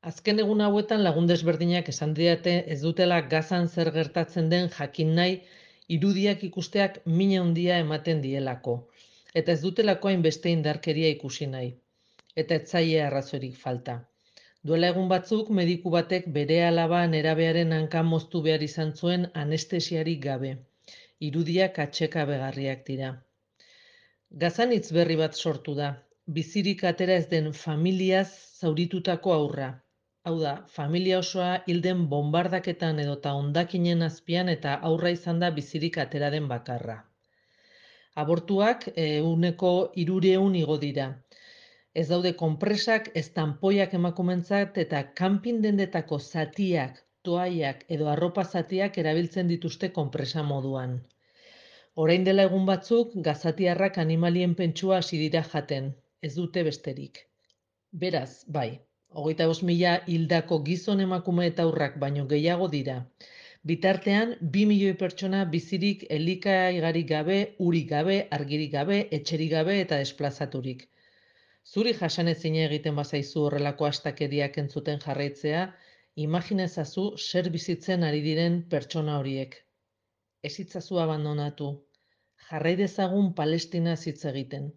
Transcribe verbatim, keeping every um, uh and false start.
Azken egun hauetan lagun desberdinak esan didate ez dutela Gazan zer gertatzen den jakin nahi, irudiak ikusteak min handia ematen dielako, eta ez dutelako hainbeste indarkeria ikusi nahi, eta ez zaie arrazoirik falta. Duela egun batzuk mediku batek bere alaba nerabearen hanka moztu behar izan zuen anestesiarik gabe. Irudiak atsekabegarriak dira. Gazan hitz berri bat sortu da. Bizirik atera ez den familiaz zauritutako haurra. Hau da, familia osoa hil den bonbardaketan edota hondakinen azpian eta haurra izan da bizirik atera den bakarra. Abortuak ehuneko hirureun igo dira. Ez daude konpresak, ez tanpoiak emakumentzat eta kanpin dendetako zatiak, toaiak edo arropa zatiak erabiltzen dituzte konpresa moduan. Orain dela egun batzuk, gazatiarrak animalien pentsua hasi dira jaten, ez dute besterik. Beraz, bai, hogeita bost mila hildako gizon emakume eta haurrak baino gehiago dira. Bitartean, bi milioi pertsona bizirik elikagairik gabe, urik gabe, argirik gabe, etxerik gabe eta desplazaturik. Zuri jasanezina egiten bazaizu horrelako astakeriak entzuten jarraitzea, imaginezazu zer bizitzen ari diren pertsona horiek. Ez itzazu abandonatu. Jarrai dezagun Palestinaz hitz egiten.